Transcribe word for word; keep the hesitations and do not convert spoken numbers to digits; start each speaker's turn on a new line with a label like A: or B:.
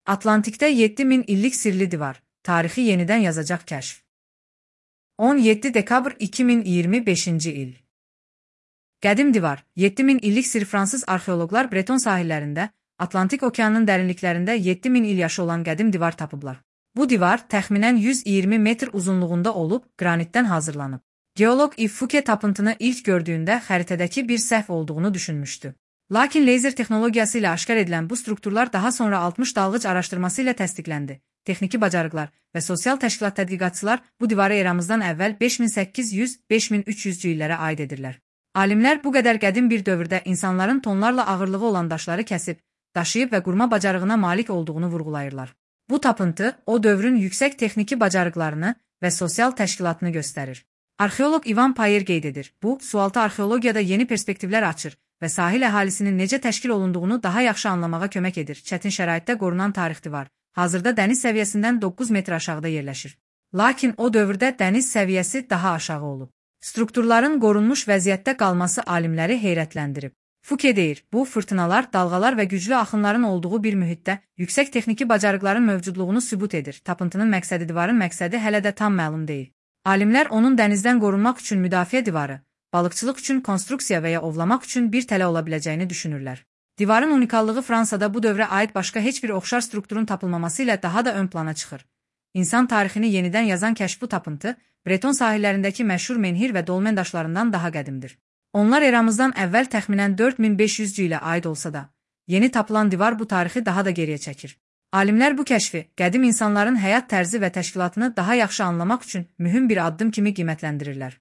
A: Atlantikdə yeddi min illik sirli divar, tarixi yenidən yazacaq kəşf. on yeddi dekabr iki min iyirmi beşinci il. Qədim divar, yeddi min illik sir. Fransız arxeoloqlar Breton sahillərində, Atlantik okeanının dərinliklərində yeddi min il yaşı olan qədim divar tapıblar. Bu divar təxminən yüz iyirmi metr uzunluğunda olub, qranitdən hazırlanıb. Geoloq Yves Fouquet tapıntını ilk gördüyündə xəritədəki bir səhv olduğunu düşünmüşdü. Lakin leyzer texnologiyası ilə aşkar edilən bu strukturlar daha sonra altmış dalğıc araşdırması ilə təsdiqləndi. Texniki bacarıqlar və sosial təşkilat tədqiqatçılar bu divarı eramızdan əvvəl beş min səkkiz yüz - beş min üç yüzcü illərə aid edirlər. Alimlər bu qədər qədim bir dövrdə insanların tonlarla ağırlığı olan daşları kəsib, daşıyıb və qurma bacarığına malik olduğunu vurğulayırlar. Bu tapıntı o dövrün yüksək texniki bacarıqlarını və sosial təşkilatını göstərir. Arxeoloq Ivan Payer qeyd edir. Bu, sualtı arxeologiyada yeni perspektivlər açır və sahil əhalisinin necə təşkil olunduğunu daha yaxşı anlamağa kömək edir. Çətin şəraitdə qorunan tarix divar hazırda dəniz səviyyəsindən doqquz metr aşağıda yerləşir. Lakin o dövrdə dəniz səviyyəsi daha aşağı olub. Strukturların qorunmuş vəziyyətdə qalması alimləri heyrətləndirib. Fouquet deyir, bu fırtınalar, dalğalar və güclü axınların olduğu bir mühitdə yüksək texniki bacarıqların mövcudluğunu sübut edir. Tapıntının məqsədi divarın məqsədi hələ də tam məlum deyil. Alimlər onun dənizdən qorunmaq üçün müdafiə divarı, balıqçılıq üçün konstruksiya və ya ovlamaq üçün bir tələ ola biləcəyini düşünürlər. Divarın unikallığı Fransada bu dövrə aid başqa heç bir oxşar strukturun tapılmaması ilə daha da ön plana çıxır. İnsan tarixini yenidən yazan kəşf bu tapıntı, Breton sahillərindəki məşhur menhir və dolmen daşlarından daha qədimdir. Onlar eramızdan əvvəl təxminən dörd min beş yüzcü ilə aid olsa da, yeni tapılan divar bu tarixi daha da geriyə çəkir. Alimlər bu kəşfi, qədim insanların həyat tərzi və təşkilatını daha yaxşı anlamaq üçün mühüm bir addım kimi qiymətləndirirlər.